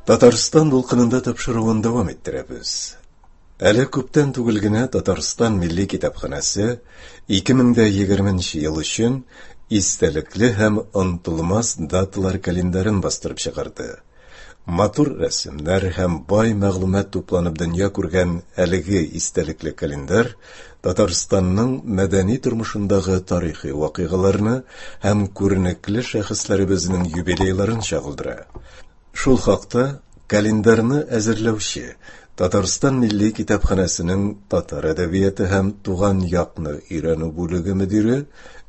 Татарстан дулкынында тапшыруын дәвам иттерәбез. Әле күптән түгел генә Татарстан Милли китапханәсе 2020 ел өчен истәлекле һәм онытылмас даталар календарен бастырып чыгарды. Матур рәсемнәр һәм бай мәгълүмат тупланып дөнья күргән әлеге истәлекле календарь Татарстанның мәдәни тормышындагы тарихи вакыйгаларны һәм күренекле шәхесләребезнең юбилейларын чагылдыра. Шул хакта календарьны әзерләүче Татарстан Милли китапханәсенең татар әдәбияты һәм туган якны өйрәнү бүлеге мөдире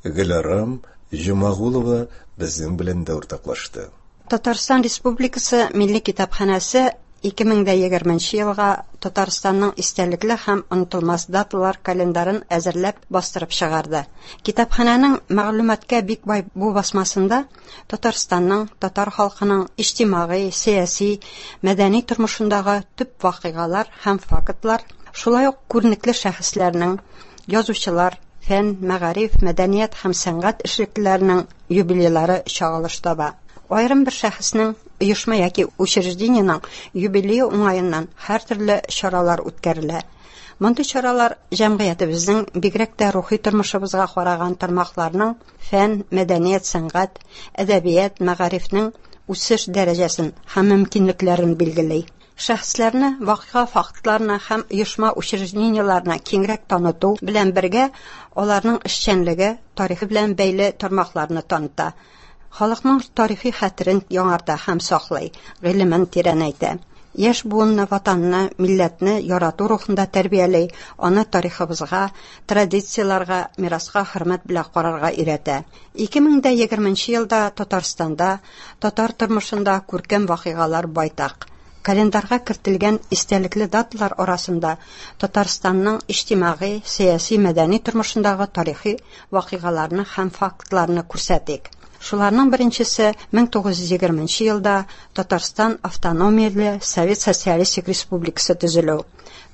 Гөләрам Җомагулова безнең белән дә уртаклашты. Татарстан Республикасы Милли китапханәсе 2020 елга Татарстанның истәлекле һәм онытылмас даталар календарен әзерләп бастырып чыгарды. Китапханәнең мәгълүматка бик бай бу басмасында Татарстанның, татар халкының иҗтимагый, сәяси, мәдәни тормышындагы төп вакыйгалар һәм фактлар, шулай ук күренекле шәхесләрнең, язучылар, фән, мәгариф, мәдәният һәм сәнгать эшлеклеләренең юбилейлары чагылыш таба. Аерым бер шәхеснең, оешма яки учреждениенең юбилее уңаеннан һәртөрле чаралар үткәрелә. Мондый чаралар җәмгыятебезнең, бигрәк тә рухи тормышыбызга караган тармакларның фән, мәдәният, сәнгать, әдәбият, мәгарифнең үсеш дәрәҗәсен һәм мөмкинлекләрен билгели. Шәхесләрне, вакыйга фактларны һәм оешма-учреждениеләрне киңрәк таныту белән бергә, аларның эшчәнлеге, тарихы белән бәйле тармакларны таныта. Халыкның тарихи хәтерен яңарта һәм саклый, гыйлемен тирәнәйтә. Яшь буынны Ватанны, милләтне ярату рухында тәрбияли, аны тарихыбызга, традицияләргә, мираска хөрмәт белән карарга өйрәтә. 2020 елда Татарстанда, татар тормышында күркәм вакыйгалар байтак. Календарьга кертелгән истәлекле даталар арасында Татарстанның иҗтимагый, сәяси, мәдәни тормышындагы тарихи вакыйгаларны һәм фактларны күрсәтик. Шуларның беренчесе 1920 елда Татарстан автономияле Совет Социалистик Республикасы төзелү.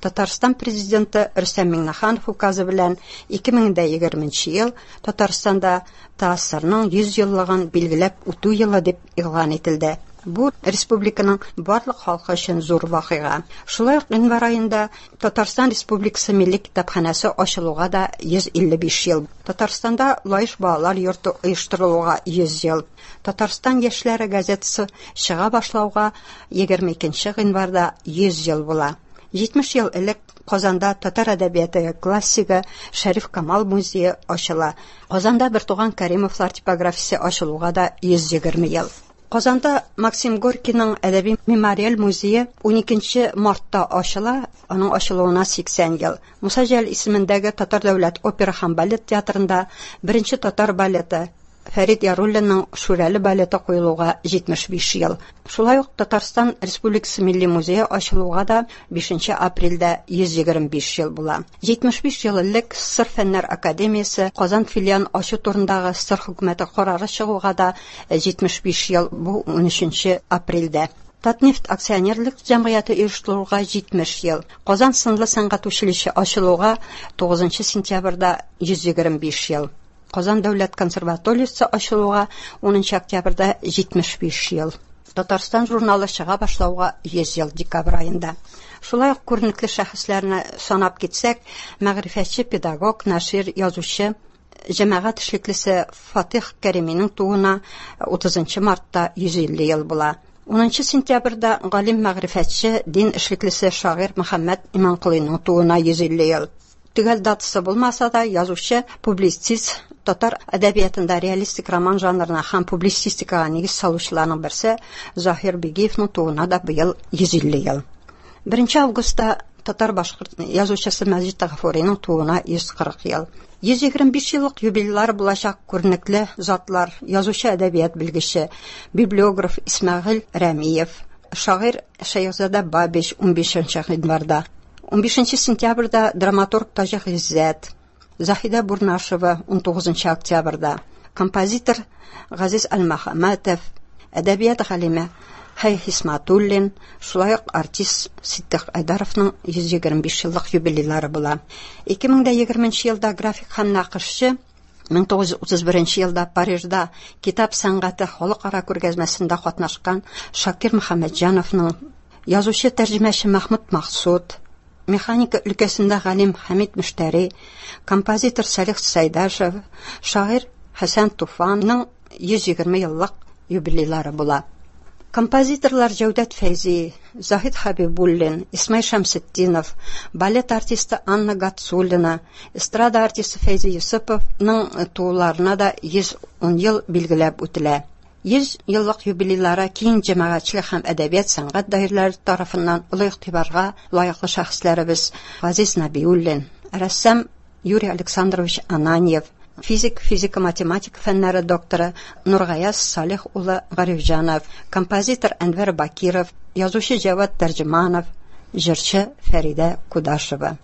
Татарстан президенты Рөстәм Миңнеханов указы белән 2020 ел Татарстанда ТАССРның 100 еллыгын билгеләп үтү елы дип игълан ителде. Бу республиканың барлык халкы өчен зур вакыйга. Шулай ук гыйнвар аенда Татарстан Республикасы Милли китапханәсе ачылуга да 155 ел. Татарстанда Лаеш балалар йорты оештырылуга 100 ел. Татарстан яшьләре газетасы чыга башлауга 22 гыйнварда 100 ел була. 70 ел элек Казанда татар әдәбияты классигы Шәриф Камал музее ачыла. Казанда бертуган Кәримовлар типографиясе ачылуга да 120 ел. Казанда Максим Горькийның әдәби мемориаль музее 12 мартта ачыла, аның ачылуына 80 ел. Муса Җәлил исемендәге Татар дәүләт опера һәм балет театрында беренче татар балеты Фәрит Яруллинның Шүрәле балеты куелуга 75 ел. Шулай ук Татарстан Республикасы Милли музее ачылуга да 5 апрельдә 125 ел була. 75 ел элек СССР Фәннәр академиясе Казан филиалын ачу турындагы СССР хөкүмәте карары чыгуга да 75 ел, бу 13 апрельдә. Татнефть акционерлык җәмгыяте оештырылуга 70 ел. Казан сынлы сәнгать училище ачылуга 9 сентябрьдә 125 ел. Казан дәүләт консерваториясе ачылуга 10 октябрьдә 75 ел. Татарстан журналы чыга башлауга 100 ел декабрь аенда. Шулай ук күренекле шәхесләрне санап китсәк, мәгърифәтче, педагог, нашир, язучы, җәмәгать эшлеклесе Фатих Кәриминең тууына 30 мартта 150 ел була. 10 сентябрьдә галим мәгърифәтче, дин эшлеклесе шагыйрь Мөхәммәд Иманколыйның тууына 150 ел. Төгәл датасы булмаса да, язучы, публицист, татар әдәбиятында реалистик роман жанрына һәм публицистикага нигез салучыларның берсе Заһир Бигиевның тууына да быел 150 ел. 1 августта татар-башкорт язучысы Мәҗит Гафуриның тууына 140 ел. 125 еллык юбилейлары булачак күренекле затлар, язучы әдәбият белгече, библиограф Исмәгыйль Рәмиев, шагыйрь Шәехзада Бабич 15 гыйнварда, 15 сентябрьдә драматург Таҗи Гыйззәт, Заһидә Бурнашева 19 октябрьдә, композитор Газиз Әлмөхәммәтов, әдәбият галиме Хәй Хисматуллин, шулай ук артист Ситдыйк Айдаровның 125 еллык юбилейлары була. 2020 елда график һәм нәкышчы 1931 елда Парижда китап сәнгате халыкара күргәзмәсендә катнашкан Шакир Мөхәммәтҗановның, язучы тәрҗемәче Мәхмүт Максуд, механика өлкәсендә галим Хәмид Мөштәри, композитор Салих Сәйдәшев, шагыйрь Хәсән Туфанның 120 еллык юбилейлары була. Композиторлар Җәүдәт Фәйзи, Заһид Хәбибуллин, Исмай Шәмсетдинов, балет артисты Анна Гатсуллина, эстрада артисты Фәйзи Йосыповның тууларына да 110 ел билгеләп үтелә. 100 еллык юбилейлары киң җәмәгатьчелек һәм әдәбият сәнгать даирәләре тарафыннан олы игътибарга лаеклы шәхесләребез Газиз Нәбиуллин, рәссам Юрий Александрович Ананьев, физик, физика-математика фәннәре докторы Нургаяз Салих улы Гарифҗанов, композитор Әнвәр Бакиров, язучы Җәвад Тәрҗеманов, җырчы Фәридә Кудашева.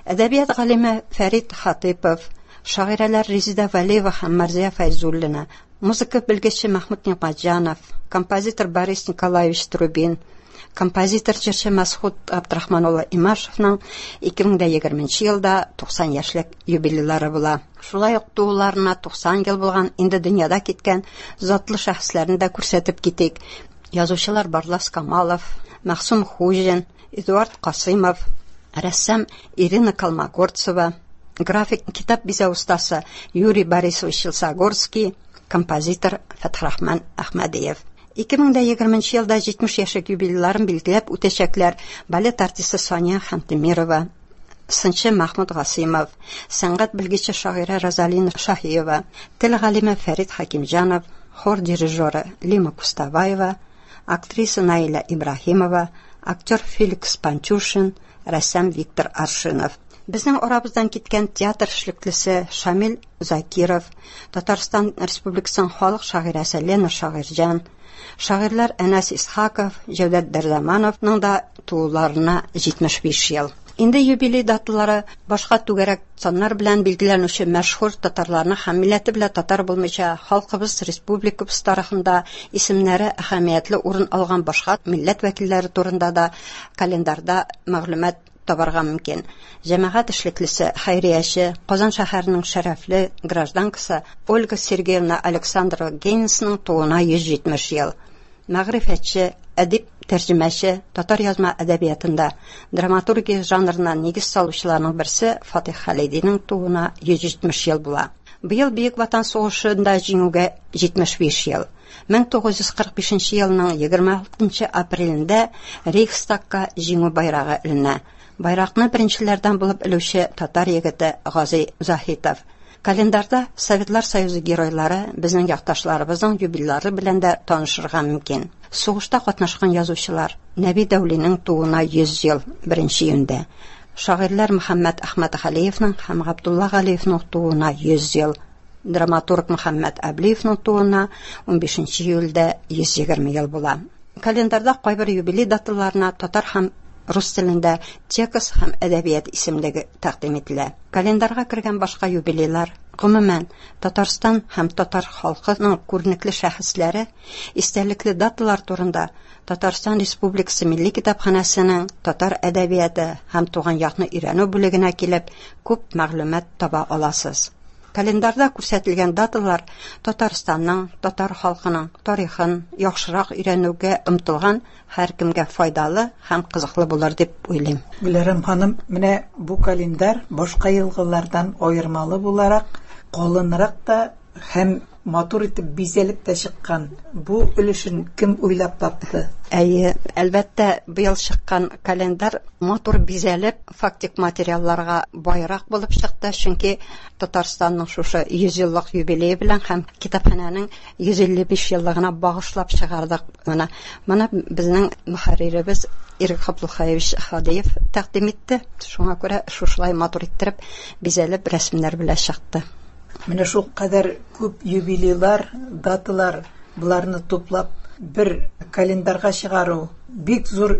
Әдәбият галиме Фәрид Хатыйпов, шагыйрәләр Резеда Вәлиева һәм Мәрзия Фәйзуллина, музыка белгече Мәхмүт Нигъмәтҗанов, композитор Борис Николаевич Трубин, композитор җырчы Мәсхүт Абдрахман улы Имашевның 2020 елда 90 яшьлек юбилейлары була. Шулай ук тууларына 90 ел булган, инде дөньяда киткән затлы шәхесләрне дә күрсәтеп китик. Язучылар Барлас Камалов, Мәгъсум Хуҗин, Эдуард Касыймов, рәссам Ирина Колмогорцева, график китап бизәү остасы Юрий Борисович Челсогорский, композитор Фәтхрахман Әхмәдиев. 2020 елда 70 яшьлек юбилейларын билгеләп үтәчәкләр балет артисты Сания Хантемирова, сынчы Мәхмүт Гасыймов, сәнгать белгече шагыйрә Розалина Шаһиева, тел галиме Фәрит Хәкимҗанов, хор дирижеры Лима Кустабаева, актриса Наилә Ибраһимова, актер Феликс Пантюшин, рәссам Виктор Аршинов. Безнең арабыздан киткән театр эшлеклесе Шамил Закиров, Татарстан Республикасының халык шагыйрәсе Лена Шагыйрьҗан, шагыйрьләр Әнәс Исхаков, Җәүдәт Дәрдамановның да тууларына 75 ел. Инде юбилей даталары башка түгәрәк саннар белән билгеләнүче мәшһүр татарларны һәм милләте белән татар булмыйча халкыбыз, республикабыз тарихында исемнәре әһәмиятле урын алган башка милләт вәкилләре турында да календарьда мәгълүмат табарга мөмкин. Җәмәгать эшлеклесе, хәйрияче, Казан шәһәренең шәрәфле гражданкасы Ольга Сергеевна Александрова Гейнсның тууына 170 ел. Мәгърифәтче, әдип, тәрҗемәче, татар язма әдәбиятында драматургия жанрына нигез салучыларның берсе Фатих Хәлидинең тууына 170 ел була. Быел Бөек Ватан сугышында җиңүгә 75 ел. 1945 елның 26 апрелендә Рейхстагка җиңү байрагы эленә. Байракны беренчеләрдән булып элүче татар егете Гази Заһитов. Календарьда Советлар Союзы геройлары, безнең якташларыбызның юбилейлары белән дә танышырга мөмкин. Сугышта катнашкан язучылар Нәби Дәүлинең тууына 100 ел 1 июньдә. Шагыйрьләр Мөхәммәт Әхмәтгалиевның һәм Габдулла Галиевның тууына 100 ел. Драматург Мөхәммәт Әблиевның тууына 15 июльдә 120 ел була. Календарьда кайбер юбилей даталарына татар һәм рус телендә текст һәм әдәбият исемлеге тәкъдим ителә. Календарьга кергән башка юбилейлар, гомумән, Татарстан һәм татар халкының күренекле шәхесләре, истәлекле даталар турында Татарстан Республикасы Милли китапханәсенең татар әдәбияты һәм туган якны өйрәнү бүлегенә килеп, күп мәгълүмат таба аласыз. Календарьда күрсәтелгән даталар Татарстанның, татар халкының тарихын яхшырак өйрәнүгә омтылган һәркемгә файдалы һәм кызыклы булыр дип уйлыйм. Гөләрем ханым, менә бу календарь башка елгылардан аермалы буларак, калынрак та һәм матур итеп бизәлеп тә чыккан. Бу өлешен кем уйлап тапты? Әйе, әлбәттә, быел чыккан календарь матур бизәлеп, фактик материалларга байрак булып чыкты, чөнки Татарстанның шушы 100 еллык юбилее белән һәм китапханәнең 155 еллыгына багышлап чыгардык. Менә моны безнең мөхәрриребез Ирек Габдулхаевич Хадиев тәкъдим итте. Шуңа күрә шушылай матур иттереп, бизәлеп рәсемнәр белән чыкты. Менә шул кадәр күп юбилейлар, даталар, боларны туплап бер календарьга чыгару бик зур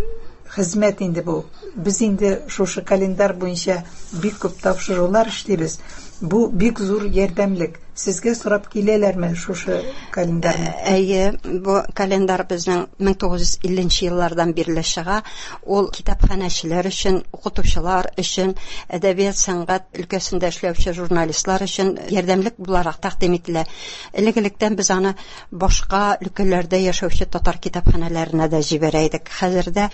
хезмәт инде бу. Без инде шушы календарь буенча бик күп тапшырулар эшлибез. Бу бик зур ярдәмлек. Сезгә сорап киләләрме шушы календарьны? Әйе, бу календарь безнең 1950 нче еллардан бирле чыга. Ул китапханәчеләр өчен, укытучылар өчен, әдәбият, сәнгать өлкәсендә эшләүче журналистлар өчен ярдәмлек буларак тәкъдим ителә. Элек-электән без аны башка өлкәләрдә яшәүче татар китапханәләренә дә җибәрә идек. Хәзер дә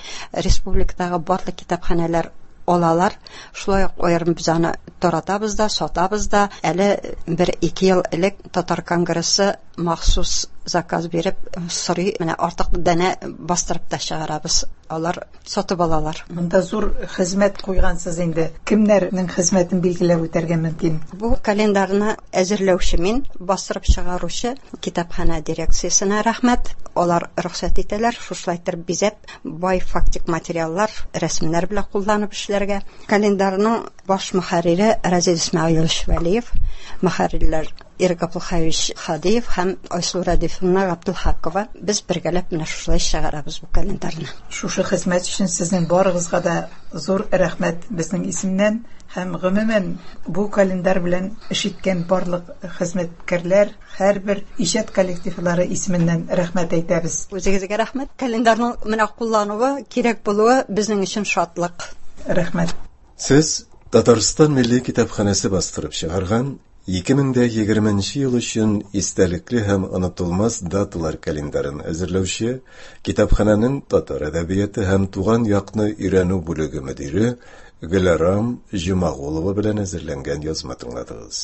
республикадагы барлык китапханәләр алалар. Шулай ук аерым без аны таратабыз да, сатабыз да. Әле бер-ике ел элек Татар конгрессы махсус заказ биреп сорый, менә артык данә бастырып та чыгарабыз. Алар сатып алалар. Монда зур хезмәт куйгансыз инде. Кемнәрнең хезмәтен билгеләп үтәргә мөмкин? Бу календарьны әзерләүче мин, бастырып чыгаручы китапханә дирекциясенә рәхмәт. Алар рөхсәт итәләр, шушылай итеп бизәп, бай фактик материаллар, рәсемнәр белән кулланып эшләргә. Календарьның баш мөхәррире Разил Исмәгыйлович Вәлиев, мөхәррирләр Ирек Габдулхаевич Хадиев һәм Айсылу Рәдифовна Габдулхакова. Без бергәләп менә шушылай чыгарабыз бу календарьны. Шушы хезмәт өчен сезнең барыгызга да зур рәхмәт безнең исемнән һәм гомумән бу календарь белән эш иткән барлык хезмәткәрләр, Һәрбер иҗат коллективлары исеменнән рәхмәт әйтәбез. Үзегезгә рәхмәт. Календарьның менә куллануы, кирәк булуы безнең өчен шатлык. Рәхмәт. Сез Татарстан Милли китапханәсе бастырып чыгарган 2020 нче ел өчен истәлекле һәм онытылмас даталар календарен әзерләүче китапханәнең татар әдәбияты һәм туган якны өйрәнү бүлеге мөдире Гөләрам Җомагулова белән әзерләнгән язма тыңладыгыз.